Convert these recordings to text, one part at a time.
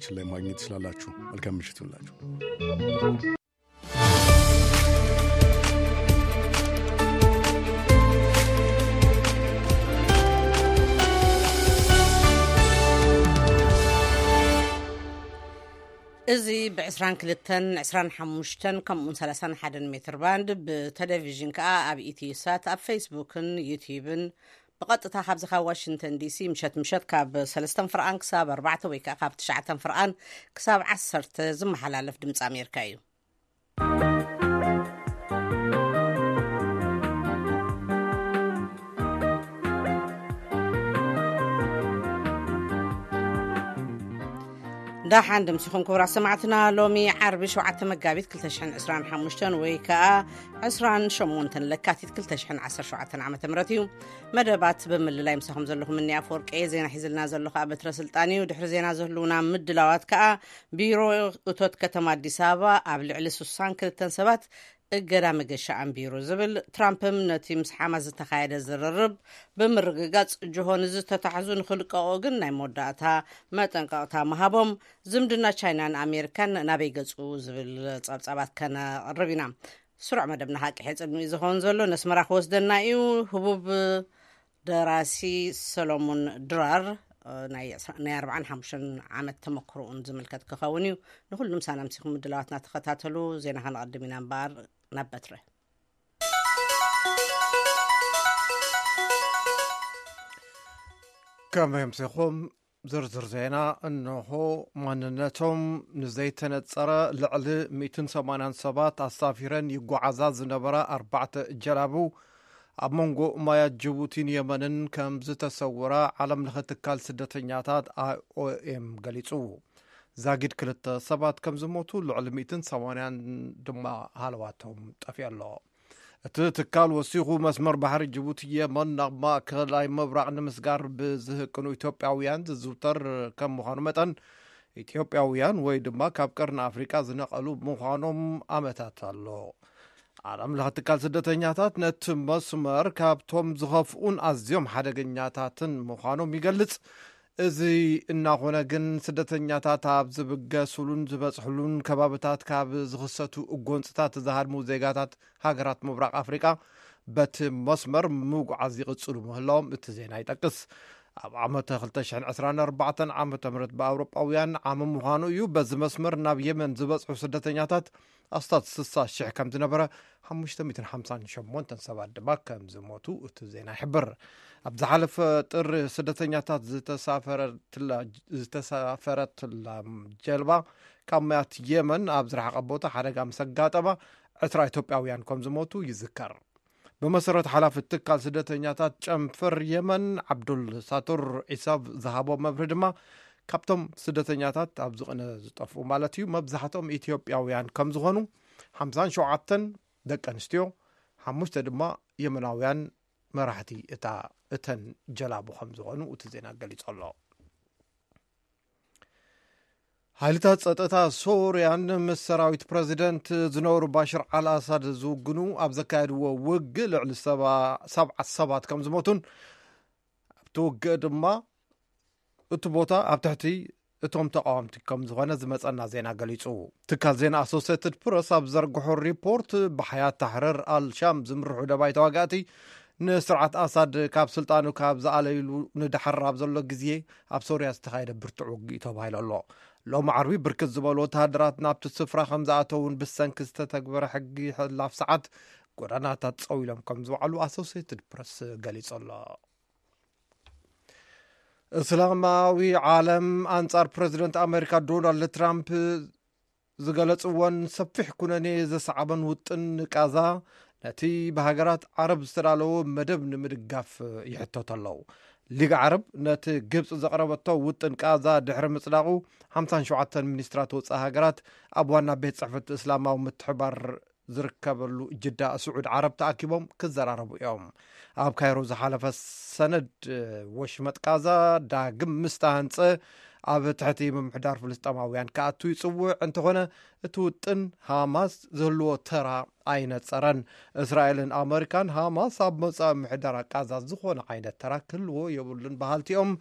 ችን ላይ ማግኘት ትችላላችሁ። መልካም ምሽት ይሁንላችሁ። እዚ ብ22፣ 25 ከምኡውን 31 ሜትር ባንድ፣ ብቴሌቪዥን ከኣ ኣብ ኢትዮ ሳት፣ ኣብ ፌስቡክን ዩቲዩብን ብቐጥታ ካብዚ ካብ ዋሽንግተን ዲሲ ምሸት ምሸት ካብ ሰለስተን ፍርቓን ክሳብ ኣርባዕተ ወይ ከኣ ካብ ትሽዓተን ፍርቓን ክሳብ ዓሰርተ ዝመሓላለፍ ድምፂ ኣሜሪካ እዩ። ዳሓን ድምሲኹም ክቡራት ሰማዕትና። ሎሚ ዓርቢ ሸውዓተ መጋቢት ክልተ ሽሕን ዕስራን ሓሙሽተን ወይ ከኣ ዕስራን ሸሞንተን ለካቲት ክልተ ሽሕን ዓሰርተ ሸውዓተን ዓመተ ምህረት እዩ። መደባት ብምልላይ ምሳኹም ዘለኹም እኒ ኣፈወርቂ፣ ዜና ሒዝልና ዘሎ ከኣ በትረ ስልጣን እዩ። ድሕሪ ዜና ዘህልውና ምድላዋት ከኣ ቢሮ እቶት ከተማ ኣዲስ ኣበባ ኣብ ልዕሊ ስሳን ክልተን ሰባት እገዳ መገሻ ኣንቢሩ ዝብል፣ ትራምፕም ነቲ ምስ ሓማስ ዝተኻየደ ዝርርብ ብምርግጋጽ ጅሆ ንዝተታሕዙ ንኽልቀቑ ግን ናይ መወዳእታ መጠንቀቕታ ምሃቦም፣ ዝምድና ቻይናን ኣሜሪካን ናበይ ገጹ ዝብል ጸብጻባት ከነቕርብ ኢና። ስሩዕ መደብና ሓቂ ሕጽን እዩ ዝኸውን ዘሎ። ነስመራ ክወስደና እዩ። ህቡብ ደራሲ ሰሎሞን ድራር፣ እ፣ ናይ ዕስራ፣ ናይ ኣርባዓን ሓሙሽተን ዓመት ተመክሮኡን ዝምልከት ክኸውን እዩ። ንኹሉ ምሳና ምሲኹም ምድላዋትና ተኸታተሉ። ዜና ከነቐድም ኢና እምበኣር ናብ በትረ። ከመይ ኣምሲኹም? ዝርዝር ዜና እንሆ። ማንነቶም ንዘይተነጸረ ልዕሊ ሚእትን ሰማንያን ሰባት ኣሳፊረን ይጓዓዛ ዝነበራ ኣርባዕተ ጀላቡ ኣብ መንጎ ማያት ጅቡቲን የመንን ከም ዝተሰወራ ዓለም ለኸ ትካል ስደተኛታት ኣይኦኤም ገሊጹ። ዛጊድ ክልተ ሰባት ከም ዝሞቱ፣ ልዕሊ ሚእትን ሰማንያን ድማ ሃለዋቶም ጠፊኡ ኣሎ። እቲ ትካል ወሲኹ፣ መስመር ባሕሪ ጅቡቲ የመን ናብ ማእከላይ ምብራቕ ንምስጋር ብዝህቅኑ ኢትዮጵያውያን ዝዝውተር ከም ምዃኑ መጠን፣ ኢትዮጵያውያን ወይ ድማ ካብ ቀርኒ ኣፍሪቃ ዝነቐሉ ምዃኖም ኣመታት ኣሎ። ዓለም ለኸ ትካል ስደተኛታት ነቲ መስመር ካብቶም ዝኸፍኡን ኣዝዮም ሓደገኛታትን ምዃኖም ይገልጽ። እዚ እናኾነ ግን፣ ስደተኛታት ኣብ ዝብገሱሉን ዝበጽሕሉን ከባብታት ካብ ዝኽሰቱ ጎንጽታት ዝሃድሙ ዜጋታት ሃገራት ምብራቕ ኣፍሪቃ በቲ መስመር ምጉዓዝ ይቕጽሉ ምህላዎም እቲ ዜና ይጠቅስ። ኣብ ዓመተ ክልተ ሽሕን ዕስራን ኣርባዕተን ዓመተ ምህረት ብኣውሮጳውያን ዓመ ምዃኑ እዩ። በዚ መስመር ናብ የመን ዝበጽሑ ስደተኛታት ኣስታት ስሳ ሽሕ ከም ዝነበረ፣ ሓሙሽተ ሚእትን ሓምሳን ሸሞንተን ሰባት ድማ ከም ዝሞቱ እቲ ዜና ይሕብር። ኣብ ዝሓለፈ ጥሪ ስደተኛታት ዝተሳፈረትላ፣ ዝተሳፈረትላ ጀልባ ካብ ማያት የመን ኣብ ዝረሓቐ ቦታ ሓደጋ ምስ ኣጋጠማ፣ ዕስራ ኢትዮጵያውያን ከም ዝሞቱ ይዝከር። ብመሰረት ሓላፊ ትካል ስደተኛታት ጨንፈር የመን ዓብዱል ሳቱር ዒሳብ ዝሃቦ መብርሂ ድማ፣ ካብቶም ስደተኛታት ኣብዚ ቅነ ዝጠፍኡ ማለት እዩ፣ መብዛሕትኦም ኢትዮጵያውያን ከም ዝኾኑ፣ ሓምሳን ሸውዓተን ደቂ ኣንስትዮ፣ ሓሙሽተ ድማ የመናውያን መራሕቲ እታ፣ እተን ጀላቡ ከም ዝኾኑ እቲ ዜና ገሊጹ ኣሎ። ሓይልታት ጸጥታ ሶርያን ምስ ሰራዊት ፕረዚደንት ዝነበሩ ባሽር ኣል ኣሳድ ዝውግኑ ኣብ ዘካየድዎ ውግእ ልዕሊ ሰባ፣ ሰብዓ ሰባት ከም ዝሞቱን ኣብቲ ውግእ ድማ እቲ ቦታ ኣብ ትሕቲ እቶም ተቃወምቲ ከም ዝኾነ ዝመጸና ዜና ገሊጹ። ትካል ዜና ኣሶሴትድ ፕረስ ኣብ ዘርግሖ ሪፖርት፣ ብሓያት ታሕረር ኣልሻም ዝምርሑ ደባይ ተዋጋእቲ ንስርዓት ኣሳድ ካብ ስልጣኑ ካብ ዝኣለይሉ ንድሓር ኣብ ዘሎ ግዜ ኣብ ሶርያ ዝተኻየደ ብርቱዕ ውግእ እዩ ተባሂሉ ኣሎ። ሎሚ ዓርቢ ብርክት ዝበሉ ወተሃደራት ናብቲ ስፍራ ከም ዝኣተውን ብሰንኪ ዝተተግበረ ሕጊ ሕላፍ ሰዓት ጎዳናታት ጸዊሎም ከም ዝውዓሉ ኣሶሴትድ ፕረስ ገሊጹ ኣሎ። እስላማዊ ዓለም ኣንጻር ፕረዚደንት ኣሜሪካ ዶናልድ ትራምፕ ዝገለጽዎን ሰፊሕ ኩነኔ ዘሰዓበን ውጥን ቃዛ፣ ነቲ ብሃገራት ዓረብ ዝተዳለወ መደብ ንምድጋፍ ይሕተቱ ኣለዉ። ሊግ ዓረብ ነቲ ግብጺ ዘቕረበቶ ውጥን ቃዛ ድሕሪ ምጽዳቑ፣ ሓምሳን ሸውዓተን ሚኒስትራት ወጻኢ ሃገራት ኣብ ዋና ቤት ጽሕፈት እስላማዊ ምትሕባር ዝርከበሉ ጅዳ፣ ስዑድ ዓረብ ተኣኪቦም ክዘራረቡ እዮም። ኣብ ካይሮ ዝሓለፈ ሰነድ፣ ወሽመጥ ቃዛ ዳግም ምስ ተሃንጸ፣ ኣብ ትሕቲ ምምሕዳር ፍልስጤማውያን ክኣቱ ይጽውዕ እንተኾነ፣ እቲ ውጥን ሃማስ ዝህልዎ ተራ ኣይነጸረን። እስራኤልን ኣመሪካን ሃማስ ኣብ መጻኢ ምሕደራ ቃዛ ዝኾነ ዓይነት ተራ ክህልዎ የብሉን በሃልቲ እዮም።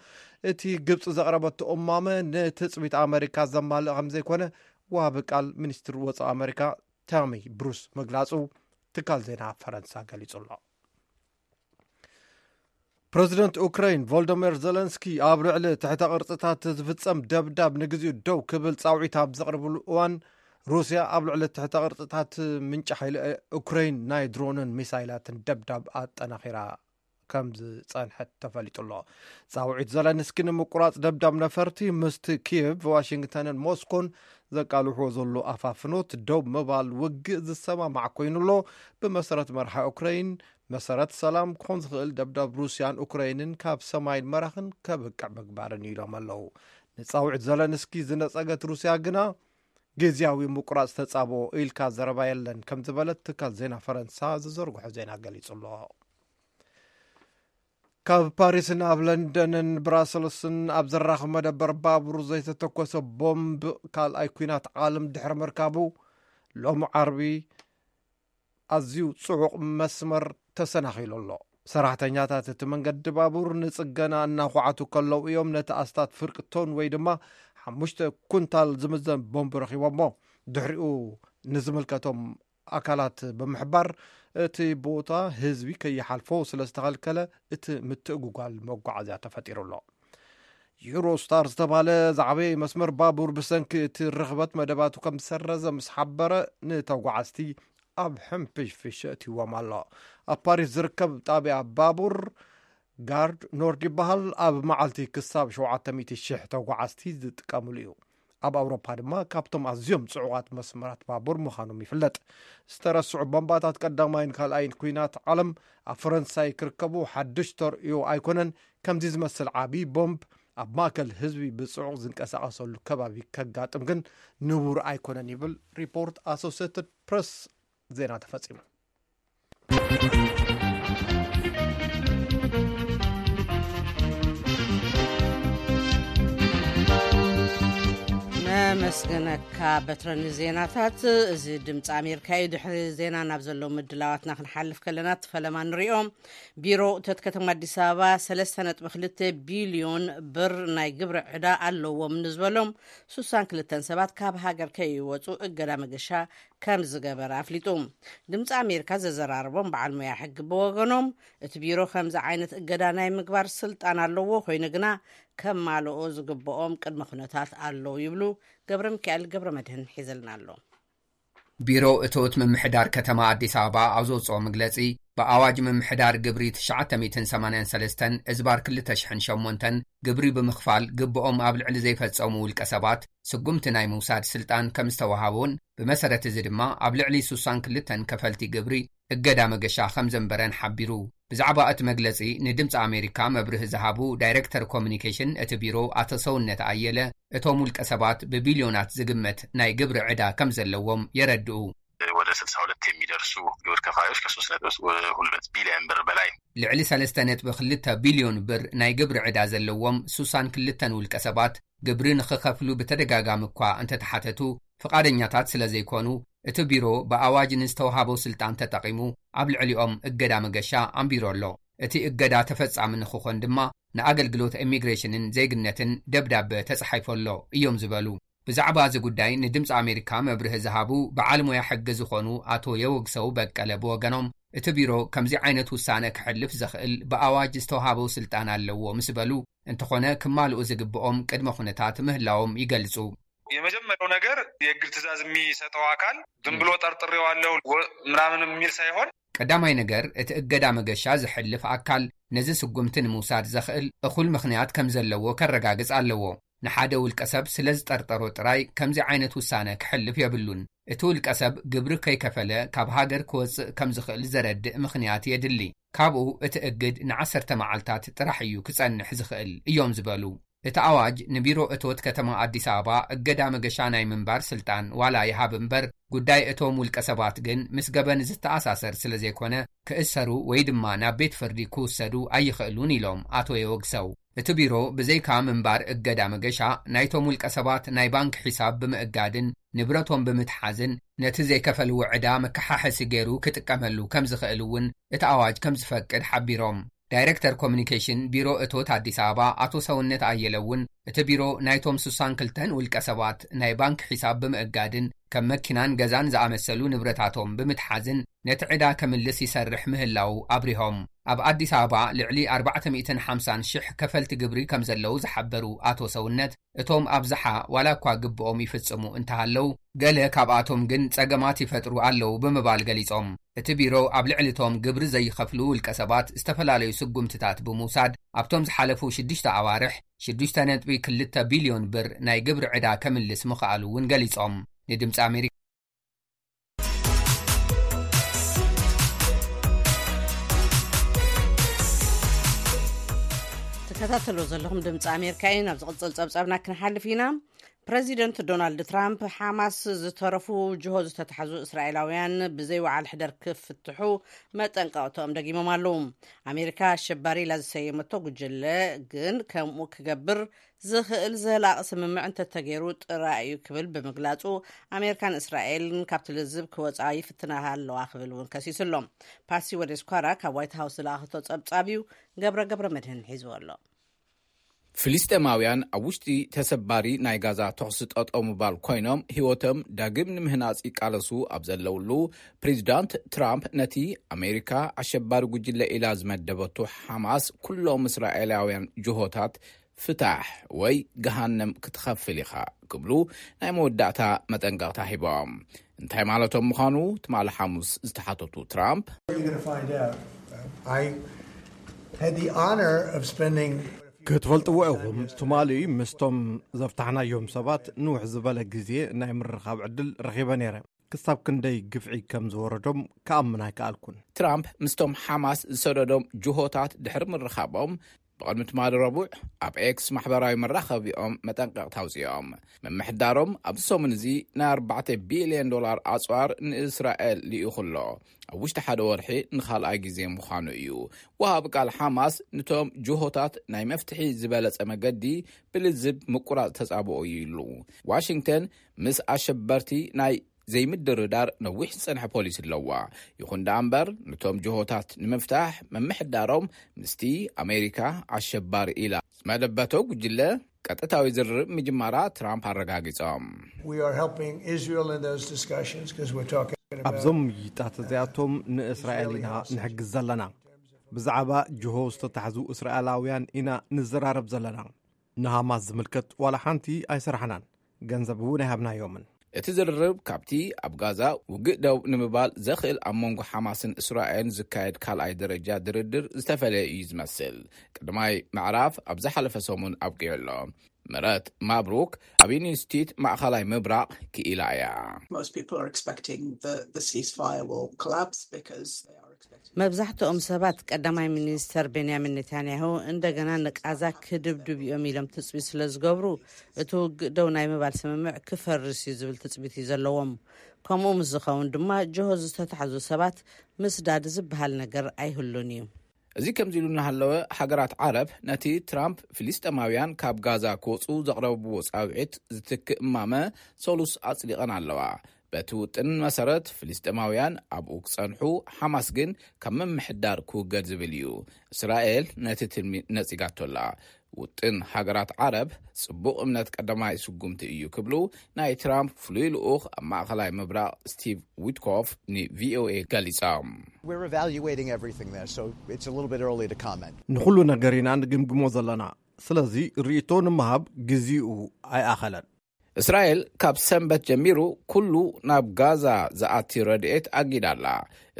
እቲ ግብጺ ዘቕረበቶ እማመ ንትጽቢት ኣመሪካ ዘማልእ ከም ዘይኮነ ዋቢ ቃል ሚኒስትር ወጻኢ ኣመሪካ ታሚ ብሩስ ምግላጹ ትካል ዜና ፈረንሳ ገሊጹ ኣሎ። ፕረዚደንት ኡክራይን ቮልዶሚር ዘለንስኪ ኣብ ልዕሊ ትሕተ ቅርጽታት ዝፍጸም ደብዳብ ንግዚኡ ደው ክብል ጻውዒት ኣብ ዘቕርብሉ እዋን፣ ሩስያ ኣብ ልዕሊ ትሕተ ቅርጽታት ምንጪ ሓይሊ ኡክራይን ናይ ድሮንን ሚሳይላትን ደብዳብ ኣጠናኺራ ከም ዝጸንሐት ተፈሊጡ ኣሎ። ጻውዒት ዘለንስኪ ንምቁራጽ ደብዳብ ነፈርቲ ምስቲ ኪየቭ፣ ዋሽንግተንን ሞስኮን ዘቃልሕዎ ዘሎ ኣፋፍኖት ደው ምባል ውግእ ዝሰማማዕ ኮይኑ ኣሎ። ብመሰረት መርሓ ኡክራይን፣ መሰረት ሰላም ክኾን ዝኽእል ደብዳብ ሩስያን ኡክራይንን ካብ ሰማይን መራኽን ከብቅዕ ምግባርን ኢሎም ኣለዉ። ንጻውዒት ዘለንስኪ ዝነጸገት ሩስያ ግና ግዝያዊ ምቁራጽ ተጻብኦ ኢልካ ዘረባ የለን ከም ዝበለት ትካል ዜና ፈረንሳ ዝዘርግሖ ዜና ገሊጹ ኣሎ። ካብ ፓሪስ ናብ ለንደንን ብራሰልስን ኣብ ዘራኽብ መደበር ባቡር ዘይተተኮሰ ቦምብ ካልኣይ ኲናት ዓለም ድሕሪ ምርካቡ፣ ሎሚ ዓርቢ ኣዝዩ ጽዑቕ መስመር ተሰናኺሉ ኣሎ። ሰራሕተኛታት እቲ መንገዲ ባቡር ንጽገና እናኹዓቱ ከለዉ እዮም ነቲ ኣስታት ፍርቂ ቶን ወይ ድማ ሓሙሽተ ኩንታል ዝምዘን ቦምብ ረኺቦሞ። ድሕሪኡ ንዝምልከቶም ኣካላት ብምሕባር፣ እቲ ቦታ ህዝቢ ከይሓልፎ ስለ ዝተኸልከለ፣ እቲ ምትእጉጓል መጓዓዝያ ተፈጢሩ ኣሎ። ዩሮስታር ዝተባህለ ዝዓበየ መስመር ባቡር ብሰንኪ እቲ ርኽበት መደባቱ ከም ዝሰረዘ ምስ ሓበረ፣ ንተጓዓዝቲ ኣብ ሕንፍሽፍሽ እትዎም ኣሎ። ኣብ ፓሪስ ዝርከብ ጣብያ ባቡር ጋርድ ኖርድ ይበሃል። ኣብ መዓልቲ ክሳብ ሸውዓተ ሚእቲ ሽሕ ተጓዓዝቲ ዝጥቀምሉ እዩ። ኣብ ኣውሮፓ ድማ ካብቶም ኣዝዮም ጽዑቓት መስመራት ባቡር ምዃኖም ይፍለጥ። ዝተረስዑ ቦምባታት ቀዳማይን ካልኣይን ኲናት ዓለም ኣብ ፈረንሳይ ክርከቡ ሓድሽ ተርእዮ ኣይኮነን። ከምዚ ዝመስል ዓቢ ቦምብ ኣብ ማእከል ህዝቢ ብጽዑቕ ዝንቀሳቐሰሉ ከባቢ ከጋጥም ግን ንቡር ኣይኮነን ይብል ሪፖርት ኣሶሴትድ ፕረስ። ዜና ተፈጺሙ። ነመስግነካ በትረ ንዜናታት። እዚ ድምፂ ኣሜሪካ እዩ። ድሕሪ ዜና ናብ ዘለዉ ምድላዋትና ክንሓልፍ ከለና እቲ ፈለማ ንሪኦ። ቢሮ እቶት ከተማ ኣዲስ ኣበባ ሰለስተ ነጥቢ ክልተ ቢልዮን ብር ናይ ግብሪ ዕዳ ኣለዎም ንዝበሎም ስሳን ክልተን ሰባት ካብ ሃገር ከይወፁ እገዳ መገሻ ከም ዝገበረ ኣፍሊጡ። ድምፂ ኣሜሪካ ዘዘራረቦም በዓል ሞያ ሕጊ ብወገኖም፣ እቲ ቢሮ ከምዚ ዓይነት እገዳ ናይ ምግባር ስልጣን ኣለዎ፣ ኮይኑ ግና ከማልኦ ዝግብኦም ቅድመ ኩነታት ኣለዉ ይብሉ። ገብረ ሚካኤል ገብረ መድህን ሒዘልና ኣሎ። ቢሮ እቶት ምምሕዳር ከተማ ኣዲስ ኣበባ ኣብ ዘውፅኦ መግለፂ፣ ብኣዋጅ ምምሕዳር ግብሪ ትሽዓተ ሚእትን ሰማንያን ሰለስተን እዝባር ክልተ ሽሕን ሸሞንተን ግብሪ ብምኽፋል ግብኦም ኣብ ልዕሊ ዘይፈፀሙ ውልቀ ሰባት ስጉምቲ ናይ ምውሳድ ስልጣን ከም ዝተወሃቦን፣ ብመሰረት እዚ ድማ ኣብ ልዕሊ ስሳን ክልተን ከፈልቲ ግብሪ እገዳ መገሻ ከም ዘንበረን ሓቢሩ። ብዛዕባ እቲ መግለጺ ንድምጺ ኣሜሪካ መብርሂ ዝሃቡ ዳይሬክተር ኮሚኒኬሽን እቲ ቢሮ ኣቶ ሰውነት ኣየለ፣ እቶም ውልቀ ሰባት ብቢልዮናት ዝግመት ናይ ግብሪ ዕዳ ከም ዘለዎም የረድኡ። ወደ ስልሳ ሁለት የሚደርሱ ግብር ከፋዮች ከሶስት ነጥብ ሁለት ቢሊዮን ብር በላይ። ልዕሊ ሰለስተ ነጥቢ ክልተ ቢልዮን ብር ናይ ግብሪ ዕዳ ዘለዎም ስሳን ክልተን ውልቀ ሰባት፣ ግብሪ ንኽኸፍሉ ብተደጋጋሚ እኳ እንተተሓተቱ ፍቓደኛታት ስለ ዘይኮኑ፣ እቲ ቢሮ ብኣዋጅ ንዝተውሃቦ ስልጣን ተጠቒሙ ኣብ ልዕሊኦም እገዳ መገሻ ኣንቢሩ ኣሎ። እቲ እገዳ ተፈጻሚ ንኽኾን ድማ ንኣገልግሎት ኢሚግሬሽንን ዜግነትን ደብዳበ ተጻሒፉ ኣሎ እዮም ዝበሉ። ብዛዕባ እዚ ጉዳይ ንድምፂ ኣሜሪካ መብርሂ ዝሃቡ በዓል ሞያ ሕጊ ዝኾኑ ኣቶ የወግሰው በቀለ ብወገኖም፣ እቲ ቢሮ ከምዚ ዓይነት ውሳነ ክሕልፍ ዘኽእል ብኣዋጅ ዝተውሃቦ ስልጣን ኣለዎ ምስ በሉ፣ እንተኾነ ክማልኡ ዝግብኦም ቅድመ ኩነታት ምህላዎም ይገልጹ። የመጀመሪያው ነገር የእግድ ትእዛዝ የሚሰጠው አካል ዝም ብሎ ጠርጥሬዋለሁ ወ-፣ ምናምን የሚል ሳይሆን፣ ቀዳማይ ነገር፣ እቲ እገዳ መገሻ ዝሕልፍ ኣካል ነዚ ስጉምቲ ንምውሳድ ዘኽእል እኹል ምኽንያት ከም ዘለዎ ከረጋግጽ ኣለዎ። ንሓደ ውልቀ ሰብ ስለ ዝጠርጠሮ ጥራይ ከምዚ ዓይነት ውሳነ ክሕልፍ የብሉን። እቲ ውልቀ ሰብ ግብሪ ከይከፈለ ካብ ሃገር ክወጽእ ከም ዝኽእል ዘረድእ ምኽንያት የድሊ። ካብኡ እቲ እግድ ንዓሰርተ መዓልታት ጥራሕ እዩ ክጸንሕ ዝኽእል እዮም ዝበሉ። እቲ ኣዋጅ ንቢሮ እቶት ከተማ ኣዲስ ኣበባ እገዳ መገሻ ናይ ምንባር ስልጣን ዋላ ይሃብ እምበር፣ ጉዳይ እቶም ውልቀ ሰባት ግን ምስ ገበን ዝተኣሳሰር ስለ ዘይኮነ፣ ክእሰሩ ወይ ድማ ናብ ቤት ፍርዲ ክውሰዱ ኣይኽእሉን ኢሎም ኣቶ የወግሰው። እቲ ቢሮ ብዘይካ ምንባር እገዳ መገሻ፣ ናይቶም ውልቀ ሰባት ናይ ባንክ ሒሳብ ብምእጋድን ንብረቶም ብምትሓዝን ነቲ ዘይከፈልዎ ዕዳ መከሓሐሲ ገይሩ ክጥቀመሉ ከም ዝኽእል እውን እቲ ኣዋጅ ከም ዝፈቅድ ሓቢሮም። ዳይሬክተር ኮሚኒኬሽን ቢሮ እቶት ኣዲስ ኣበባ ኣቶ ሰውነት ኣየለ እውን እቲ ቢሮ ናይቶም ስሳን ክልተን ውልቀ ሰባት ናይ ባንክ ሒሳብ ብምእጋድን ከም መኪናን ገዛን ዝኣመሰሉ ንብረታቶም ብምትሓዝን ነቲ ዕዳ ከምልስ ይሰርሕ ምህላው ኣብሪሆም። ኣብ ኣዲስ ኣበባ ልዕሊ ኣርባዕተ ሚእትን ሓምሳን ሽሕ ከፈልቲ ግብሪ ከም ዘለዉ ዝሓበሩ ኣቶ ሰውነት፣ እቶም ኣብዝሓ ዋላ እኳ ግብኦም ይፍጽሙ እንተሃለው፣ ገለ ካብኣቶም ግን ጸገማት ይፈጥሩ ኣለዉ ብምባል ገሊጾም። እቲ ቢሮ ኣብ ልዕሊ እቶም ግብሪ ዘይኸፍሉ ውልቀ ሰባት ዝተፈላለዩ ስጉምትታት ብምውሳድ ኣብቶም ዝሓለፉ ሽዱሽተ ኣዋርሕ ሽዱሽተ ነጥቢ ክልተ ቢልዮን ብር ናይ ግብሪ ዕዳ ከምልስ ምኽኣሉ እውን ገሊጾም። ንድምፂ ኣሜሪካ ትከታተሉ ዘለኹም ድምፂ ኣሜሪካ እዩ። ናብ ዝቕፅል ፀብፃብና ክንሓልፍ ኢና። ፕረዚደንት ዶናልድ ትራምፕ ሓማስ ዝተረፉ ጅሆ ዝተታሕዙ እስራኤላውያን ብዘይ ወዓል ሕደር ክፍትሑ መጠንቀቕተኦም ደጊሞም ኣለዉ። ኣሜሪካ ኣሸባሪ ኢላ ዝሰየመቶ ጉጅለ ግን ከምኡ ክገብር ዝኽእል ዘላቒ ስምምዕ እንተተገይሩ ጥራይ እዩ ክብል ብምግላጹ፣ ኣሜሪካን እስራኤልን ካብቲ ልዝብ ክወጻ ይፍትና ኣለዋ ክብል እውን ከሲሱ ኣሎ። ፓሲ ወደስኳራ ካብ ዋይት ሃውስ ዝለኣኸቶ ጸብጻብ እዩ። ገብረ ገብረ መድህን ሒዝዎ ኣሎ። ፍልስጤማውያን ኣብ ውሽጢ ተሰባሪ ናይ ጋዛ ተኹሲ ጠጠው ምባል ኮይኖም ህይወቶም ዳግም ንምህናጽ ይቃለሱ ኣብ ዘለውሉ፣ ፕሬዚዳንት ትራምፕ ነቲ ኣሜሪካ ኣሸባሪ ጉጅለ ኢላ ዝመደበቱ ሓማስ ኩሎም እስራኤላውያን ጅሆታት ፍታሕ ወይ ገሃነም ክትኸፍል ኢኻ ክብሉ ናይ መወዳእታ መጠንቀቕታ ሂቦም። እንታይ ማለቶም ምዃኑ ትማሊ ሓሙስ ዝተሓተቱ ትራምፕ፣ ክትፈልጥዎ ኢኹም፣ ትማሊ ምስቶም ዘፍታሕናዮም ሰባት ንውሕ ዝበለ ግዜ ናይ ምርኻብ ዕድል ረኺበ ነይረ። ክሳብ ክንደይ ግፍዒ ከም ዝወረዶም ክኣምን ኣይከኣልኩን። ትራምፕ ምስቶም ሓማስ ዝሰደዶም ጅሆታት ድሕሪ ምርኻቦም፣ ብቕድሚ ትማሊ ረቡዕ ኣብ ኤክስ ማሕበራዊ መራኸቢኦም መጠንቀቕታ ኣውፂኦም። ምምሕዳሮም ኣብዚ ሰሙን እዚ ናይ ኣርባዕተ ቢልዮን ዶላር ኣፅዋር ንእስራኤል ልኢኹ ኣሎ። ኣብ ውሽጢ ሓደ ወርሒ ንኻልኣይ ግዜ ምዃኑ እዩ። ወሃቢ ቃል ሓማስ ንቶም ጅሆታት ናይ መፍትሒ ዝበለጸ መገዲ ብልዝብ ምቁራጽ ተጻብኦ እዩ ኢሉ። ዋሽንግተን ምስ ኣሸበርቲ ናይ ዘይምድርዳር ነዊሕ ዝጸንሐ ፖሊሲ ኣለዋ። ይኹን ደኣ እምበር፣ ነቶም ጅሆታት ንምፍታሕ ምምሕዳሮም ምስቲ ኣሜሪካ ኣሸባሪ ኢላ ዝመደበቶ ጉጅለ ቀጥታዊ ዝርርብ ምጅማራ ትራምፕ ኣረጋጊጾም። ኣብዞም ምይይጣት እዚኣቶም ንእስራኤል ኢና ንሕግዝ ዘለና። ብዛዕባ ጅሆ ዝተታሕዙ እስራኤላውያን ኢና ንዘራረብ ዘለና። ንሃማስ ዝምልከት ዋላ ሓንቲ ኣይሰራሕናን፣ ገንዘብ እውን ኣይሃብናዮምን። እቲ ዝርርብ ካብቲ ኣብ ጋዛ ውግእ ደው ንምባል ዘኽእል ኣብ መንጎ ሓማስን እስራኤልን ዝካየድ ካልኣይ ደረጃ ድርድር ዝተፈለየ እዩ ዝመስል። ቀዳማይ ምዕራፍ ኣብ ዝሓለፈ ሰሙን ኣብቂዑ ኣሎ። ምረት ማብሩክ ኣብ ኢንስቲትዩት ማእኸላይ ምብራቕ ክኢላ እያ። መብዛሕትኦም ሰባት ቀዳማይ ሚኒስተር ቤንያሚን ኔታንያሁ እንደገና ንቃዛ ክድብድብ እዮም ኢሎም ትፅቢት ስለ ዝገብሩ፣ እቲ ውግእ ደው ናይ ምባል ስምምዕ ክፈርስ እዩ ዝብል ትፅቢት እዩ ዘለዎም። ከምኡ ምስ ዝኸውን ድማ ጅሆ ዝተታሕዙ ሰባት ምስዳድ ዝበሃል ነገር ኣይህሉን እዩ። እዚ ከምዚ ኢሉ እናሃለወ፣ ሃገራት ዓረብ ነቲ ትራምፕ ፍልስጤማውያን ካብ ጋዛ ክወፁ ዘቕረብዎ ፃውዒት ዝትክእ እማመ ሰሉስ ኣፅዲቐን ኣለዋ። በቲ ውጥን መሰረት ፍልስጤማውያን ኣብኡ ክፀንሑ፣ ሓማስ ግን ካብ ምምሕዳር ክውገድ ዝብል እዩ። እስራኤል ነቲ ትልሚ ነፂጋቶ ኣላ። ውጥን ሃገራት ዓረብ ፅቡቕ እምነት ቀዳማይ ስጉምቲ እዩ ክብሉ ናይ ትራምፕ ፍሉይ ልኡኽ ኣብ ማእኸላይ ምብራቕ ስቲቭ ዊትኮፍ ንቪኦኤ ገሊፆም። We're evaluating everything there, so it's a little bit early to comment. ንኹሉ ነገር ኢና ንግምግሞ ዘለና፣ ስለዚ ርእይቶ ንምሃብ ግዜኡ ኣይኣኸለን። እስራኤል ካብ ሰንበት ጀሚሩ ኩሉ ናብ ጋዛ ዝኣቲ ረድኤት ኣጊዳ ኣላ።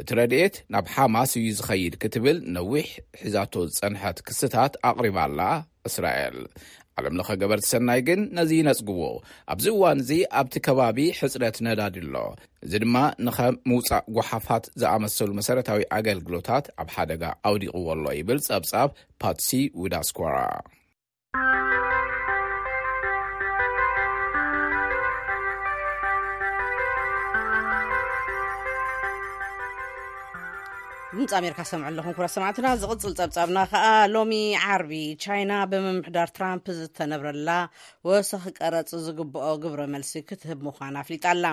እቲ ረድኤት ናብ ሓማስ እዩ ዝኸይድ ክትብል ነዊሕ ሒዛቶ ዝጸንሐት ክስታት ኣቕሪባ ኣላ እስራኤል። ዓለምለኸ ገበርቲ ሰናይ ግን ነዚ ይነጽግዎ። ኣብዚ እዋን እዚ ኣብቲ ከባቢ ሕጽረት ነዳዲ ኣሎ። እዚ ድማ ንኸም ምውጻእ ጓሓፋት ዝኣመሰሉ መሰረታዊ ኣገልግሎታት ኣብ ሓደጋ ኣውዲቕዎ ኣሎ ይብል ጸብጻብ ፓትሲ ዊዳስኳራ። ድምፂ ኣሜሪካ ሰምዑ ኣለኹም ክቡራት ሰማዕትና። ዝቕፅል ፀብፃብና ከዓ ሎሚ ዓርቢ ቻይና ብምምሕዳር ትራምፕ ዝተነብረላ ወሰኽ ቀረፅ ዝግብኦ ግብረ መልሲ ክትህብ ምዃና ኣፍሊጣ ኣላ።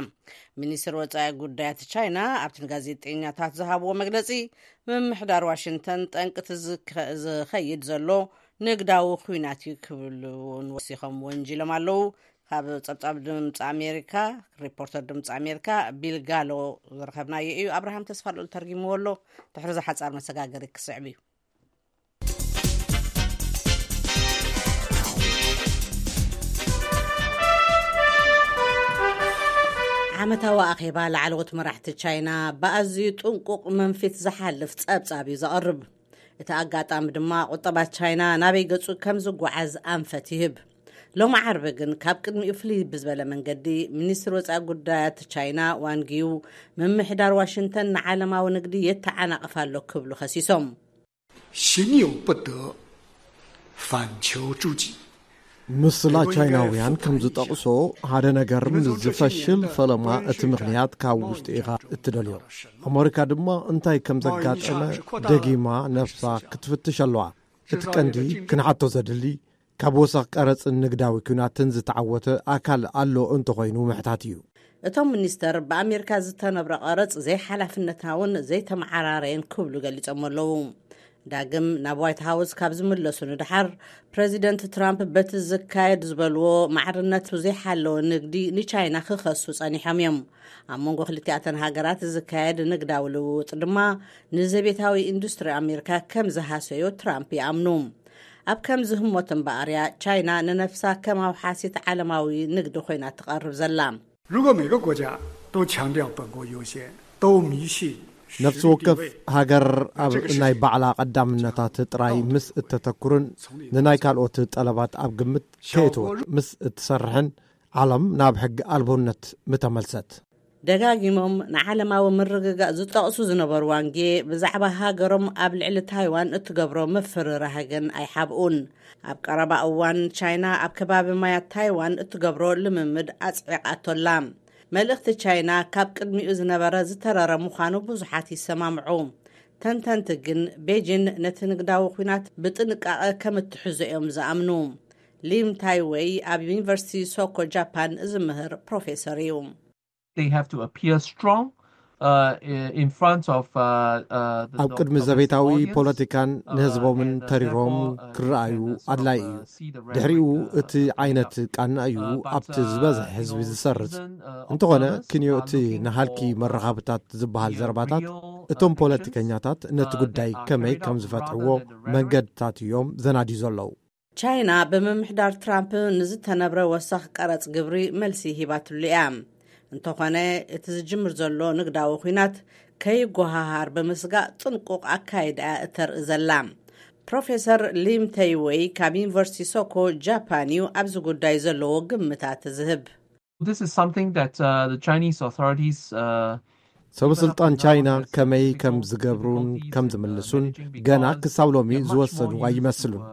ሚኒስትር ወፃኢ ጉዳያት ቻይና ኣብቲ ንጋዜጠኛታት ዝሃብዎ መግለፂ፣ ምምሕዳር ዋሽንግተን ጠንቅቲ ዝኸ- ዝኸይድ ዘሎ ንግዳዊ ኩናት እዩ ክብሉ እውን ወሲኾም ወንጂሎም ኣለዉ። ካብ ጸብጻብ ድምፂ ኣሜሪካ፣ ሪፖርተር ድምፂ ኣሜሪካ ቢል ጋሎ ዝረኸብናዮ እዩ። ኣብርሃም ተስፋ ልኡል ተርጊምዎ ኣሎ። ድሕሪ እዚ ሓጻር መሰጋገሪ ክስዕብ እዩ። ዓመታዊ ኣኼባ ላዕለዎት መራሕቲ ቻይና ብኣዝዩ ጥንቁቕ መንፊት ዝሓልፍ ጸብጻብ እዩ ዘቕርብ። እቲ ኣጋጣሚ ድማ ቁጠባት ቻይና ናበይ ገጹ ከም ዝጓዓዝ ኣንፈት ይህብ። ሎሚ ዓርቢ ግን ካብ ቅድሚኡ ፍልይ ብዝበለ መንገዲ፣ ሚኒስትር ወጻኢ ጉዳያት ቻይና ዋንጊው፣ ምምሕዳር ዋሽንግተን ንዓለማዊ ንግዲ የተዓናቕፍ ኣሎ ክብሉ ከሲሶም። 行有不得，反求诸己。 ምስላ ቻይናውያን ከም ዝጠቕሶ፣ ሓደ ነገር ምስ ዝፈሽል፣ ፈለማ እቲ ምኽንያት ካብ ውሽጢ ኢኻ እትደልዮ። ኣመሪካ ድማ እንታይ ከም ዘጋጠመ ደጊማ ነብሳ ክትፍትሽ ኣለዋ። እቲ ቀንዲ ክንሓቶ ዘድሊ፣ ካብ ወሰኽ ቀረጽን ንግዳዊ ኲናትን ዝተዓወተ ኣካል ኣሎ እንተኾይኑ ምሕታት እዩ። እቶም ሚኒስተር፣ ብኣሜሪካ ዝተነብረ ቀረጽ ዘይሓላፍነታውን ዘይተመዓራረየን ክብሉ ገሊጾም ኣለዉ። ዳግም ናብ ዋይት ሃውስ ካብ ዝምለሱ ንድሓር፣ ፕረዚደንት ትራምፕ በቲ ዝካየድ ዝበልዎ ማዕርነቱ ዘይሓለወ ንግዲ ንቻይና ክኸሱ ጸኒሖም እዮም። ኣብ መንጎ ክልቲኣተን ሃገራት ዝካየድ ንግዳዊ ልውውጥ ድማ ንዘቤታዊ ኢንዱስትሪ ኣሜሪካ ከም ዝሃሰዮ ትራምፕ ይኣምኑ። ኣብ ከምዚ ህሞት እምበኣር እያ ቻይና ንነፍሳ ከም ኣውሓሲት ዓለማዊ ንግዲ ኮይና ትቐርብ ዘላ። 如果每个国家都强调本国优先，都迷信 ነፍሲ ወከፍ ሃገር ኣብ ናይ ባዕላ ቀዳምነታት ጥራይ ምስ እተተኩርን ንናይ ካልኦት ጠለባት ኣብ ግምት ከየእተወት ምስ እትሰርሕን፣ ዓለም ናብ ሕጊ ኣልቦነት ምተመልሰት። ደጋጊሞም ንዓለማዊ ምርግጋእ ዝጠቕሱ ዝነበሩ ዋንጌ፣ ብዛዕባ ሃገሮም ኣብ ልዕሊ ታይዋን እትገብሮ ምፍርራህ ግን ኣይሓብኡን። ኣብ ቀረባ እዋን ቻይና ኣብ ከባቢ ማያት ታይዋን እትገብሮ ልምምድ ኣጽዒቓቶላ። መልእኽቲ ቻይና ካብ ቅድሚኡ ዝነበረ ዝተረረ ምዃኑ ብዙሓት ይሰማምዑ። ተንተንቲ ግን ቤጂን ነቲ ንግዳዊ ኲናት ብጥንቃቐ ከም እትሕዞ እዮም ዝኣምኑ። ሊም ታይወይ ኣብ ዩኒቨርሲቲ ሶኮ ጃፓን ዝምህር ፕሮፌሰር እዩ። They have to appear strong, uh, in front of, uh, uh, the, ኣብ ቅድሚ ዘቤታዊ ፖለቲካን ንህዝቦምን ተሪሮም ክረኣዩ ኣድላይ እዩ። ድሕሪኡ እቲ ዓይነት ቃና እዩ ኣብቲ ዝበዝሕ ህዝቢ ዝሰርጽ። እንተኾነ ክንዮ እቲ ንሃልኪ መራኸብታት ዝበሃል ዘረባታት እቶም ፖለቲከኛታት ነቲ ጉዳይ ከመይ ከም ዝፈትሕዎ መንገድታት እዮም ዘናድዩ ዘለዉ። ቻይና ብምምሕዳር ትራምፕ ንዝተነብረ ወሰኽ ቀረጽ ግብሪ መልሲ ሂባትሉ እያ። እንተኾነ፣ እቲ ዝጅምር ዘሎ ንግዳዊ ኲናት ከይጓሃሃር ብምስጋእ ጥንቁቕ ኣካይዳ እያ እተርኢ ዘላ። ፕሮፌሰር ሊም ተይወይ ካብ ዩኒቨርሲቲ ሶኮ ጃፓን እዩ ኣብዚ ጉዳይ ዘለዎ ግምታት ዝህብ። This is something that, uh, the Chinese authorities, uh, ሰበ ስልጣን ቻይና ከመይ ከም ዝገብሩን ከም ዝምልሱን ገና ክሳብ ሎሚ ዝወሰኑ ኣይመስሉን።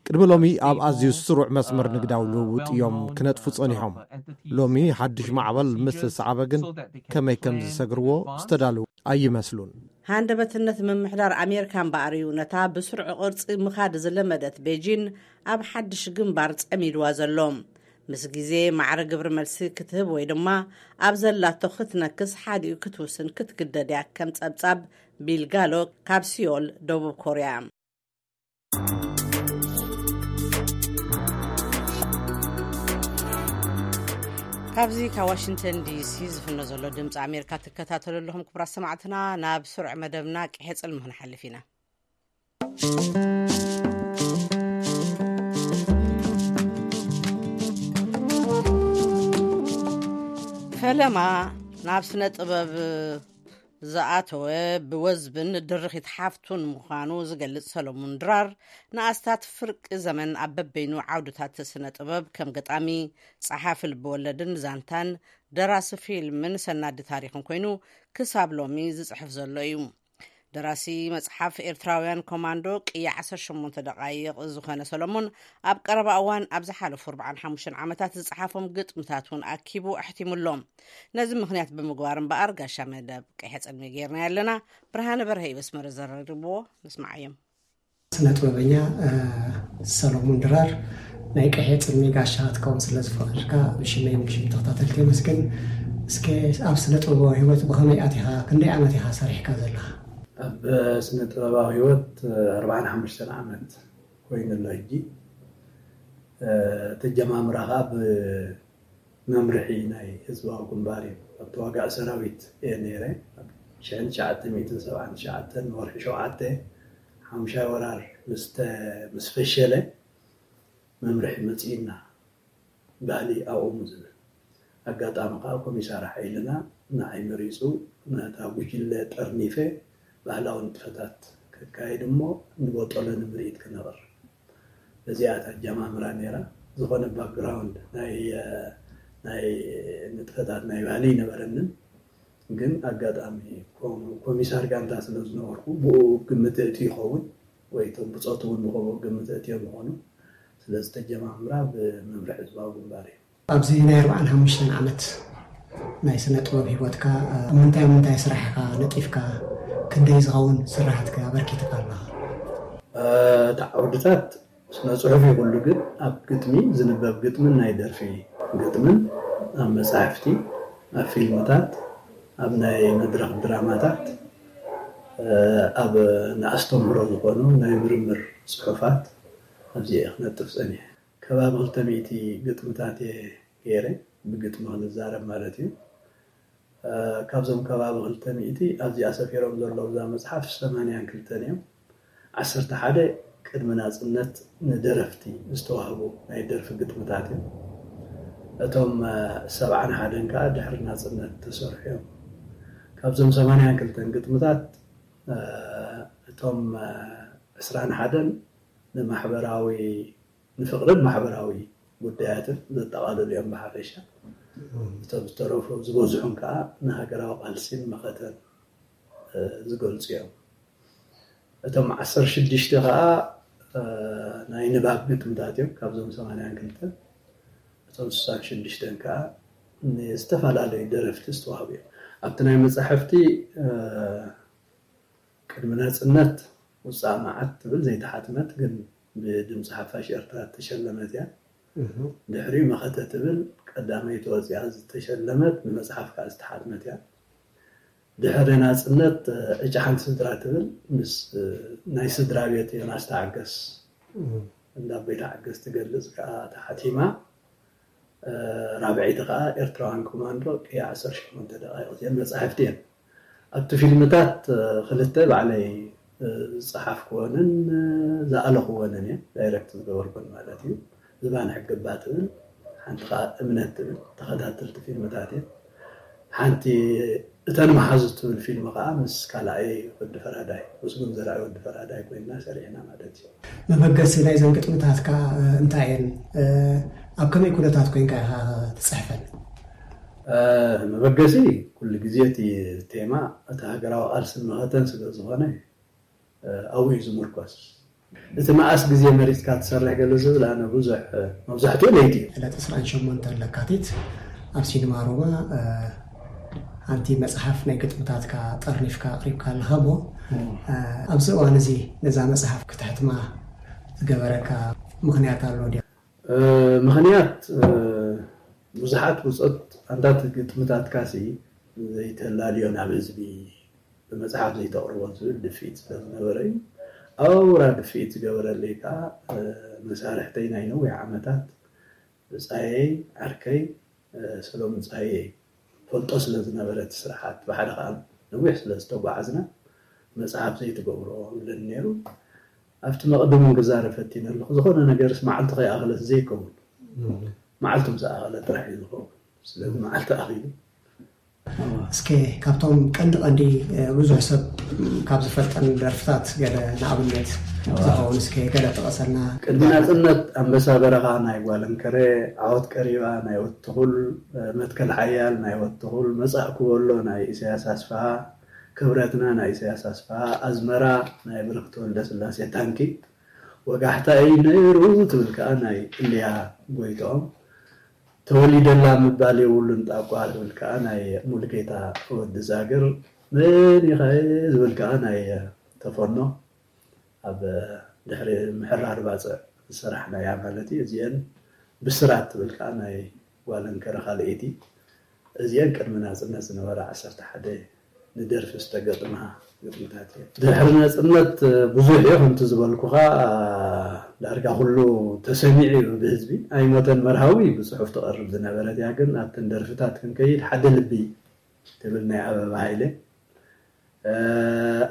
ቅድሚ ሎሚ ኣብ ኣዝዩ ስሩዕ መስመር ንግዳዊ ልውውጥ እዮም ክነጥፉ ጸኒሖም። ሎሚ ሓድሽ ማዕበል ምስ ተሰዓበ ግን ከመይ ከም ዝሰግርዎ ዝተዳለዉ ኣይመስሉን። ሃንደበትነት ምምሕዳር ኣሜሪካ እምበኣር እዩ ነታ ብስሩዕ ቅርጺ ምኻድ ዝለመደት ቤጂን ኣብ ሓድሽ ግንባር ጸሚድዋ ዘሎ። ምስ ግዜ ማዕረ ግብሪ መልሲ ክትህብ ወይ ድማ ኣብ ዘላቶ ክትነክስ ሓዲኡ ክትውስን ክትግደድ እያ፣ ከም ጸብጻብ ቢል ጋሎ ካብ ሲዮል፣ ደቡብ ኮርያ። ካብዚ ካብ ዋሽንግተን ዲሲ ዝፍኖ ዘሎ ድምፂ ኣሜሪካ ትከታተሉ ኣለኹም ክቡራት ሰማዕትና። ናብ ስሩዕ መደብና ቅሔ ጽልሚ ክንሓልፍ ኢና። ፈለማ ናብ ስነ ጥበብ ዝኣተወ ብወዝብን ድርኺት ሓፍቱን ምዃኑ ዝገልጽ ሰሎሙን ድራር፣ ንኣስታት ፍርቂ ዘመን ኣብ በበይኑ ዓውድታት ስነ ጥበብ ከም ገጣሚ፣ ጸሓፊ ልብወለድን ዛንታን፣ ደራሲ ፊልምን ሰናዲ ታሪኽን ኮይኑ ክሳብ ሎሚ ዝጽሕፍ ዘሎ እዩ። ደራሲ መጽሓፍ ኤርትራውያን ኮማንዶ ቅያ ዓሰርተ ሸሞንተ ደቓይቕ ዝኾነ ሰሎሞን፣ ኣብ ቀረባ እዋን ኣብ ዝሓለፉ ኣርባዓን ሓሙሽተን ዓመታት ዝጸሓፎም ግጥምታት እውን ኣኪቡ ኣሕቲሙሎም። ነዚ ምኽንያት ብምግባር እምበኣር ጋሻ መደብ ቀይሐ ጽልሚ ጌርና ኣለና። ብርሃነ በርሀ እዩ በስመረ ዘረድብዎ። ንስማዓዮም። ስነ ጥበበኛ ሰሎሙን ድራር፣ ናይ ቀይሐ ጽልሚ ጋሻ ክትከውን ስለ ዝፈቐድካ ብሽመይን ብሽም ተኸታተልቲ የመስግን። እስከ ኣብ ስነ ጥበባዊ ህይወት ብኸመይ ኣቲኻ? ክንደይ ዓመት ኢኻ ሰሪሕካ ዘለኻ? ኣብ ስነ ጥበባዊ ህይወት ኣርባዓን ሓሙሽተን ዓመት ኮይኑ ኣሎ ሕጂ። ተጀማምራ ከዓ ብመምርሒ ናይ ህዝባዊ ግንባር እዩ። ኣብ ተዋጋእ ሰራዊት እየ ነይረ። ኣብ ሽሕን ትሽዓተ ሚእትን ሰብዓን ትሽዓተን ወርሒ ሸውዓተ ሓሙሻይ ወራር ምስ ፈሸለ መምርሒ መፅእና፣ ባህሊ ኣቑሙ ዝብል። ኣጋጣሚ ከዓ ኮሚሳር ሓይልና ንዓይ መሪፁ፣ ነታ ጉጅለ ጠርኒፈ ባህላዊ ንጥፈታት ከካይድ እሞ ንቦጦለ ንምርኢት ክነቕርብ። እዚኣ እታ ኣጀማምራ ነይራ። ዝኾነ ባክግራውንድ ናይ ናይ ንጥፈታት ናይ ባህሊ ኣይነበረንን። ግን ኣጋጣሚ ኮሚሳር ጋንታ ስለ ዝነበርኩ ብኡ ግምት እእትዩ ይኸውን ወይ እቶም ብፆት እውን ብኸምኡ ግምት እእትዮም ይኾኑ። ስለዚ ተጀማምራ ብመምርሒ ህዝባዊ ግንባር እዩ። ኣብዚ ናይ ኣርባዓን ሓሙሽተን ዓመት ናይ ስነ ጥበብ ህይወትካ ኣብ ምንታይ ኣብ ምንታይ ስራሕ ኢኻ ነጢፍካ? ክንደይ ዝኸውን ስራሓትካ ኣበርኪትካ ኣለኻ? እታ ዓውድታት ስነ ጽሑፍ ይኹሉ ግን ኣብ ግጥሚ ዝንበብ ግጥምን ናይ ደርፊ ግጥምን ኣብ መጻሕፍቲ ኣብ ፊልምታት ኣብ ናይ መድረኽ ድራማታት ኣብ ንኣስተምህሮ ዝኾኑ ናይ ምርምር ጽሑፋት ኣብዚኤ ክነጥፍ ጸኒሐ። ከባቢ ክልተ ሚእቲ ግጥምታት እየ ገይረ፣ ብግጥሚ ክንዛረብ ማለት እዩ። ካብዞም ከባቢ ክልተ ሚእቲ ኣብዚኣ ሰፊሮም ዘለዉ እዛ መፅሓፍ ሰማንያን ክልተን እዮም። ዓሰርተ ሓደ ቅድሚ ናፅነት ንደረፍቲ ዝተዋህቡ ናይ ደርፊ ግጥምታት እዮም። እቶም ሰብዓን ሓደን ከዓ ድሕሪ ናፅነት ተሰርሑ እዮም። ካብዞም ሰማንያን ክልተን ግጥምታት እቶም ዕስራን ሓደን ንማሕበራዊ ንፍቕርን ማሕበራዊ ጉዳያትን ዘጠቓልሉ እዮም ብሓፈሻ። እቶም ዝተረፉ ዝበዝሑን ከዓ ንሃገራዊ ቃልሲን መኸተን ዝገልፁ እዮም። እቶም ዓሰርተ ሽዱሽተ ከዓ ናይ ንባብ ግጥምታት እዮም። ካብዞም ሰማንያን ክልተን እቶም ስሳን ሽዱሽተን ከዓ ንዝተፈላለዩ ደረፍቲ ዝተዋህቡ እዮም። ኣብቲ ናይ መፃሕፍቲ ቅድሚ ናፅነት ውፃእ መዓት ትብል ዘይተሓትመት ግን ብድምፂ ሓፋሽ ኤርትራ እተሸለመት እያ። ድሕሪኡ መኸተ ትብል ቀዳመይቲ ወፂኣ ዝተሸለመት ብመፅሓፍ ከዓ ዝተሓትመት እያ። ድሕሪ ናፅነት ዕጫ ሓንቲ ስድራ ትብል ምስ ናይ ስድራ ቤት ዮናስ ተዓገስ እንዳ ኣቦይ ተዓገስ ትገልፅ ከዓ ተሓቲማ። ራብዐይቲ ከዓ ኤርትራውያን ኮማንዶ ቅያ ዓሰርተ ሸሞንተ ደቃይቕ እዚአን መፃሕፍቲ እየን። ኣብቲ ፊልምታት ክልተ ባዕለይ ዝፀሓፍክወንን ዝኣለኽወንን እየን፣ ዳይረክት ዝገበርኩን ማለት እዩ። ዝባን ሕግባ ትብል፣ ሓንቲ ከዓ እምነት ትብል ተኸታተልቲ ፊልምታት እየን። ሓንቲ እተን መሓዙት ትብል ፊልም ከዓ ምስ ካልኣይ ወዲ ፈራዳይ፣ ምስጉን ዘርኣይ ወዲ ፈራዳይ ኮይንና ሰሪሕና ማለት እዩ። መበገሲ ናይዘን ግጥምታትካ እንታይ እየን? ኣብ ከመይ ኩነታት ኮይንካ ኢኻ ትፅሕፈን? መበገሲ ኩሉ ግዜ እቲ ቴማ እቲ ሃገራዊ ቃልስን መኸተን ስለ ዝኾነ ኣብኡ እዩ ዝምርኮስ። እቲ መኣስ ግዜ መሪፅካ ትሰርሕ ገለ ዝብል ኣነ ብዙሕ መብዛሕትኡ ለይቲ እዩ። ዕለት ዕስራን ሸሞንተን ለካቲት ኣብ ሲኒማ ሮማ ሓንቲ መፅሓፍ ናይ ግጥምታትካ ጠርኒፍካ ኣቅሪብካ ኣለኻ እሞ ኣብዚ እዋን እዚ ነዛ መፅሓፍ ክተሕትማ ዝገበረካ ምኽንያት ኣሎ ድዩ? ምኽንያት ብዙሓት ብፆት ኣንታት ግጥምታትካ ሲ ዘይተላልዮ ናብ ህዝቢ ብመፅሓፍ ዘይተቕርቦ ዝብል ድፍኢት ስለ ዝነበረ እዩ። ኣውራ ድፍኢት ዝገበረለይ ከዓ መሳርሕተይ ናይ ነዊሕ ዓመታት ብፃየይ ዓርከይ ሰሎሙን ፃየ ፈልጦ ስለ ዝነበረ እቲ ስርሓት ብሓደ ከዓ ነዊሕ ስለ ዝተጓዓዝና መፅሓፍ ዘይትገብሮ ይብለኒ ነይሩ። ኣብቲ መቕድም እውን ክዛረብ ፈቲነ ኣለኹ። ዝኾነ ነገርስ መዓልቲ ከይኣኸለት ዘይከውን መዓልቱ ምስ ኣኸለ ጥራሕ እዩ ዝኸውን። ስለዚ መዓልቲ ኣኺሉ እስከ ካብቶም ቀንዲ ቀንዲ ብዙሕ ሰብ ካብ ዝፈልጠን ደርፍታት ገለ ንኣብነት ዝኸውን እስከ ገለ ጥቀሰልና። ቅድሚ ናፅነት ኣንበሳ በረኻ ናይ ጓለንከረ፣ ዓወት ቀሪባ ናይ ወትኹል፣ መትከል ሓያል ናይ ወትኹል፣ መፃእኩ በሎ ናይ ኢሳያስ ኣስፍሃ፣ ክብረትና ናይ ኢሳያስ ኣስፍሃ፣ ኣዝመራ ናይ ብርኽቲ ወልደስላሴ ታንኪ፣ ወጋሕታ እዩ ነይሩ ትብል ከኣ ናይ እልያ ጎይትኦም፣ ተወሊደላ ምባል የብሉን ጣቋ ትብል ከኣ ናይ ሙሉጌታ ወዲ ዛግር፣ መን ኢኻ ዝብል ከኣ ናይ ተፈኖ፣ ኣብ ድሕሪ ምሕራር ባጽዕ ዝሰራሕናያ ማለት እዩ። እዚአን ብስራት ትብል ከኣ ናይ ጓል እንከረ ካልኣይቲ፣ እዚአን ቅድሚ ናጽነት ዝነበራ ዓሰርተ ሓደ ንደርፊ ዝተገጥማ ግጥምታት እየን። ድሕሪ ናጽነት ብዙሕ እዩ፣ ከምቲ ዝበልኩኻ፣ ዳርጋ ኩሉ ተሰሚዑ እዩ ብህዝቢ። ኣይሞተን መርሃዊ ብጽሑፍ ትቐርብ ዝነበረት እያ፣ ግን ኣብተን ደርፍታት ክንከይድ፣ ሓደ ልቢ ትብል ናይ ኣበባ ሃይለ፣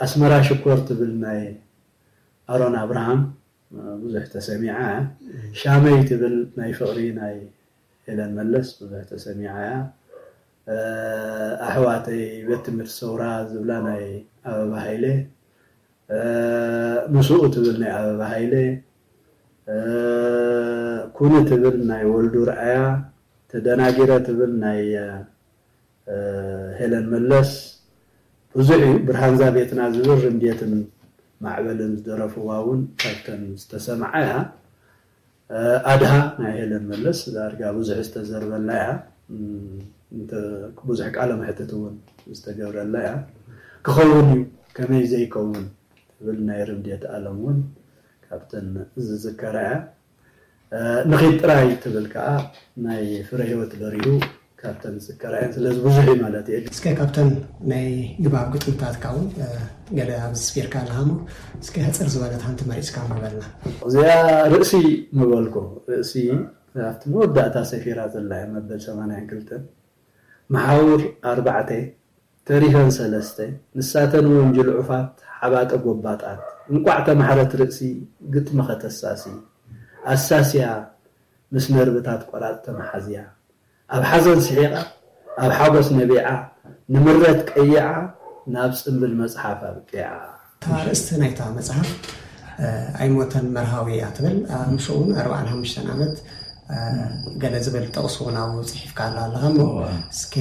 ኣስመራ ሽኮር ትብል ናይ ኣሮን ኣብርሃም ብዙሕ ተሰሚዓ፣ ሻመይ ትብል ናይ ፍቕሪ ናይ ሄለን መለስ ብዙሕ ተሰሚዓ እያ። ኣሕዋተይ ቤት ትምህርቲ ሰውራ ዝብላ ናይ ኣበባ ሃይለ፣ ምስኡ ትብል ናይ ኣበባ ሃይለ፣ ኩኒ ትብል ናይ ወልዱ ርኣያ፣ ተደናጊረ ትብል ናይ ሄለን መለስ፣ ብዙሕ እዩ። ብርሃንዛ ቤትና ዝብል ርምድየትን ማዕበልን ዝደረፍዋ እውን ካብተን ዝተሰምዓ እያ። ኣድሃ ናይ ሄለን መለስ ዳርጋ ብዙሕ ዝተዘርበላ እያ። ብዙሕ ቃለ መሕትት እውን ዝተገብረላ እያ። ክኸውን እዩ፣ ከመይ ዘይከውን ትብል ናይ ርምድየት ኣለም እውን ካብተን ዝዝከራ እያ። ንኺድ ጥራይ ትብል ከኣ ናይ ፍረ ህይወት በሪሁ ካብተን ዝዝከራ እየን። ስለዚ ብዙሕ እዩ ማለት እየ። እስከ ካብተን ናይ ግባብ ግጥምታትካ እውን ገለ ኣብዚ ስፊርካ ኣለኻ እሞ፣ እስከ ሕጽር ዝበለት ሓንቲ መሪጽካ ምበልና። እዚኣ ርእሲ ምበልኩ፣ ርእሲ ኣብቲ መወዳእታ ሰፊራ ዘላ እያ፣ መበል ሰማንያን ክልተን፣ መሓውር ኣርባዕተ፣ ተሪፈን ሰለስተ፣ ንሳተን ወንጅል ዑፋት፣ ሓባጠ ጎባጣት፣ እንቋዕ ተማሕረት ርእሲ፣ ግጥሚ ከተሳሲ፣ ኣሳስያ፣ ምስ ነርብታት ቆራጽ ተመሓዝያ፣ ኣብ ሓዘን ስሒቓ፣ ኣብ ሓጎስ ነቢዓ፣ ንምረት ቀይዓ፣ ናብ ጽምብል መጽሓፍ ኣብቂዓ። እታ ኣርእስቲ ናይታ መጽሓፍ፣ ኣይሞተን መርሃዊ እያ ትብል። ምስኡ እውን ኣርባዓን ሓሙሽተን ዓመት ገለ ዝብል ጥቕሲ እውን ኣብኡ ጽሒፍካ ኣሎ ኣለኻ እሞ፣ እስከ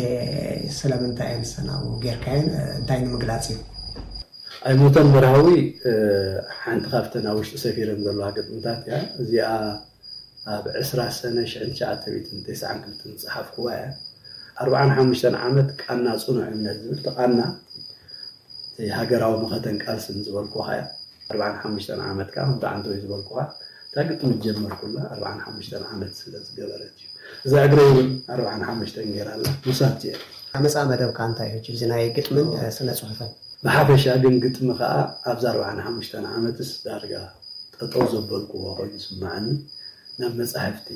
ስለምንታይ እየን ንሰን ኣብኡ ጌርካየን? እንታይ ንምግላጽ እዩ? ኣይሞተን መርሃዊ ሓንቲ ካብተን ኣብ ውሽጢ ሰፊረን ዘለዋ ግጥምታት እያ። እዚኣ ኣብ ዕስራ ሰነ ሽሕን ትሽዓተ ሚእትን ተስዓን ክልተን ዝጸሓፍኩዋ እያ። ኣርባዓን ሓሙሽተን ዓመት ቃና ጽኑዕ እምነት ዝብል፣ እቲ ቃና እቲ ሃገራዊ መኸተን ቃልስን ዝበልኩኻ እያ። ኣርባዓን ሓሙሽተን ዓመት ከኣ ከምቲ ዓንተወይ ዝበልኩኻ፣ እታ ግጥሚ ዝጀመርኩላ ኣርባዓን ሓሙሽተን ዓመት ስለ ዝገበረት እዩ። እዛ እግረይ እውን ኣርባዓን ሓሙሽተን ገይራ ኣላ። ምሳት እየ። ኣመጻ መደብካ እንታይ እዩ? ሕጂ እዚ ናይ ግጥምን፣ እ፣ ስነ ጽሑፍን። ብሓፈሻ ግን ግጥሚ ከኣ ኣብዛ ኣርባዓን ሓሙሽተን ዓመትስ ዳርጋ ጠጠው ዘበልኩዎ ኮይኑ ይስምዓኒ። ናብ መጻሕፍቲ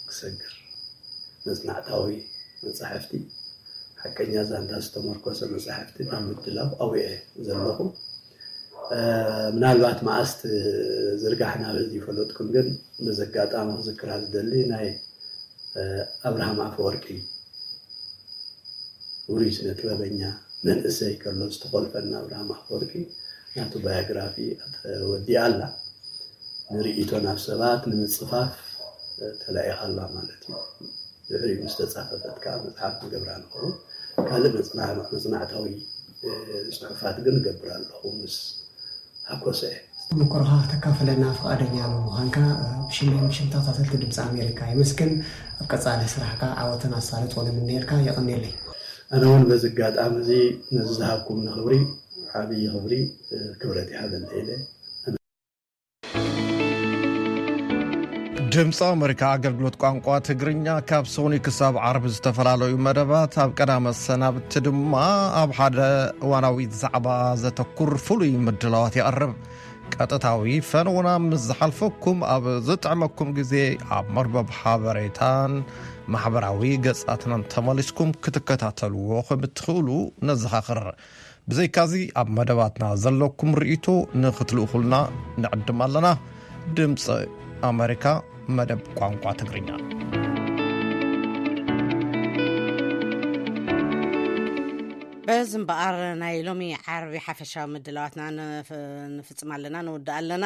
ክሰግር፣ መጽናዕታዊ መጻሕፍቲ፣ ሓቀኛ ዛንታ ዝተመርኮሰ መጻሕፍቲ ናብ ምድላው ኣብኡ እየ ዘለኹ። እ፣ ምናልባት መኣስ ዝርጋሕ ናብ ህዝቢ ይፈለጥኩም፣ ግን በዚ ኣጋጣሚ ክዝክራ ዝደሊ ናይ፣ እ፣ ኣብርሃም ኣፈወርቂ ውሩይ ስነ ጥበበኛ መንእሰይ ከሎ ዝተኾልፈና ኣብርሃም ኣፈወርቂ ናቱ ባዮግራፊ ወዲኣ ኣላ። ንርእይቶ ናብ ሰባት ንምጽፋፍ ተላኢኻ ኣላ ማለት እዩ። ድሕሪኡ ምስ ተጻፈፈት ከኣ መጽሓፍ ንገብራ ንኸውን። ካልእ መጽና-፣ መጽናዕታዊ፣ እ፣ ጽሑፋት ግን እገብር ኣለኹ ምስ ሃኮሰ። ተመክሮኻ ከተካፍለና ፍቓደኛ ብምዃንካ፣ እ፣ ብሽመይን ብሽም ተኸታተልቲ ድምፂ ኣሜሪካ የመስግን። ኣብ ቀጻሊ ስራሕካ ዓወትን ኣሳልጦን ንምነየልካ። የቐንየለይ። ኣነ እውን በዚ ኣጋጣሚ እዚ ነዚ ዝሃብኩምኒ ክብሪ ዓብዪ ክብሪ፣ እ፣ ክብረት ይሃበለይ ኢለ። ድምፂ ኣሜሪካ ኣገልግሎት ቋንቋ ትግርኛ ካብ ሰኑይ ክሳብ ዓርቢ ዝተፈላለዩ መደባት፣ ኣብ ቀዳመ ሰናብቲ ድማ ኣብ ሓደ እዋናዊ ዛዕባ ዘተኩር ፍሉይ ምድላዋት የቕርብ። ቀጥታዊ ፈነውና ምስ ዝሓልፈኩም፣ ኣብ ዝጥዕመኩም ግዜ ኣብ መርበብ ሓበሬታን ማሕበራዊ ገጻትናን ተመሊስኩም ክትከታተልዎ ከም እትኽእሉ ነዘኻኽር። ብዘይካዚ ኣብ መደባትና ዘለኩም ርእይቶ ንኽትልእኹልና ንዕድም ኣለና። ድምፂ ኣሜሪካ መደብ ቋንቋ ትግርኛ። እዚ እምበኣር ናይ ሎሚ ዓርቢ ሓፈሻዊ ምድላዋትና ንፍ- ንፍጽም ኣለና፣ ንውድእ ኣለና።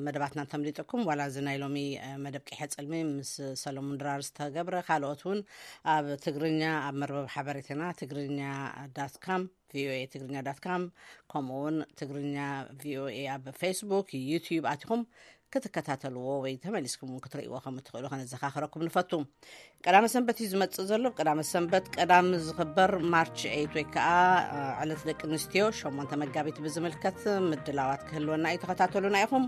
መደባትና እንተምሊጥኩም ዋላ እዚ ናይ ሎሚ መደብ ቂሐ ጽልሚ ምስ ሰለሙን ድራር ዝተገብረ፣ ካልኦት እውን ኣብ ትግርኛ ኣብ መርበብ ሓበሬታና ትግርኛ ዳት ካም፣ ቪኦኤ ትግርኛ ዳት ካም፣ ከምኡ እውን ትግርኛ ቪኦኤ ኣብ ፌስቡክ፣ ዩቲዩብ ኣቲኹም ክትከታተልዎ ወይ ተመሊስኩም እውን ክትርእይዎ ከም እትኽእሉ ከነዘኻኽረኩም ንፈቱ። ቀዳመ ሰንበት እዩ ዝመጽእ ዘሎ። ቀዳመ ሰንበት ቀዳም ዝኽበር ማርች ኤይት ወይ ከዓ ዕለት ደቂ ኣንስትዮ ሸሞንተ መጋቢት ብዝምልከት ምድላዋት ክህልወና እዩ። ተኸታተሉና ኢኹም።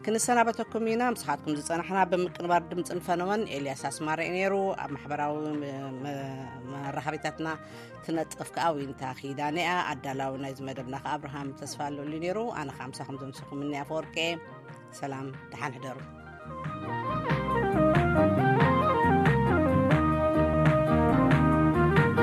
ክንሰናበተኩም ኢና። ምስኻትኩም ዝጸናሕና ብምቅንባር ድምፅን ፈነወን ኤልያስ ኣስማረ እዩ ነይሩ። ኣብ ማሕበራዊ መ- መ- መራኸቢታትና ትነጥፍ ከዓ ዊንታ ኪዳነ እያ። ኣዳላዊ ናይዚ መደብና ከዓ ኣብርሃም ተስፋ ኣለሉ ነይሩ። ኣነ ከዓ ምሳኹም ዘምሰኹም እኒ ኣፈወርቂ። ሰላም፣ ደሓን ሕደሩ።